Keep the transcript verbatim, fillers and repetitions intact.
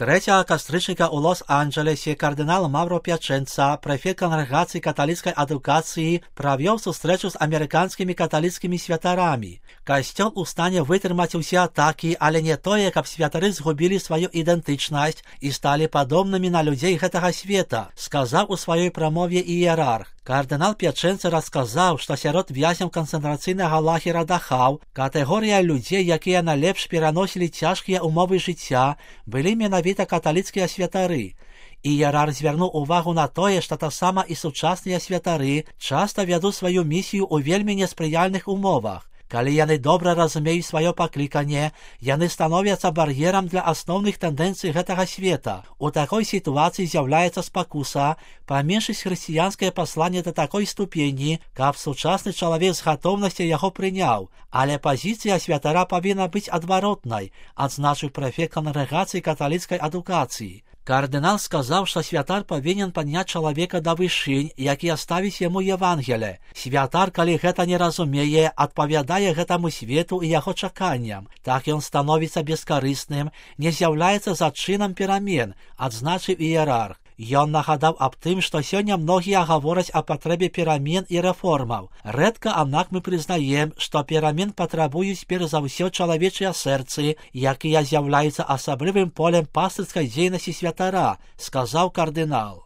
третього кастричника у Лос-Анджелесі кардинал Мавро П'яченца, префект Конгрегації католицької адукації, провів зустрічу з американськими католицькими святарами. Костел у стані витримати усі атаки, але не то, як святари згубили свою ідентичність і стали подобними на людей гэтага света, сказав у своїй промові ієрарх. Кардинал П'яченца розказав, що серед в'язнів концентраційного лагера Дахау категорія людей, які найлепш переносили тяжкі умови життя, були менавіта католицькі святари. Ієрарх звернув увагу на те, що та сама і сучасні святари часто ведуть свою місію у вельми несприяльних умовах. Калі яны добра разумеюць сваё пакліканне, яны становяцца бар'ерам для асноўных тэндэнцый гэтага света. У такой сітуацыі з'яўляецца спакуса паменшыць хрысціянскае пасланне да такой ступені, каб сучасны чалавек з гатоўнасцю яго прыняў. Але пазіцыя святара павінна быць адваротнай, адзначыў прэфект Конгрегацыі каталіцкай адукацыі. Кардынал сказаў, што святар павінен падняць чалавека да вышынь, які ставіць яму Евангелие. Святар, калі гэта не разумее, адпавядае гэтаму свету і яго чаканням. Так ён становіцца бескарысным, не з'яўляецца зачынам перамен, адзначыў ієрарх. Ён нагадаў аб тым, што сёння многія гавораць о патрэбе перамен і рэформаў. Рэдка, аднак мы прызнаем, што перамен патрабуюць перш за ўсё чалавечыя сэрцы, якія з'яўляюцца асаблівым полем пастырскай дзейнасці святара, сказаў кардынал.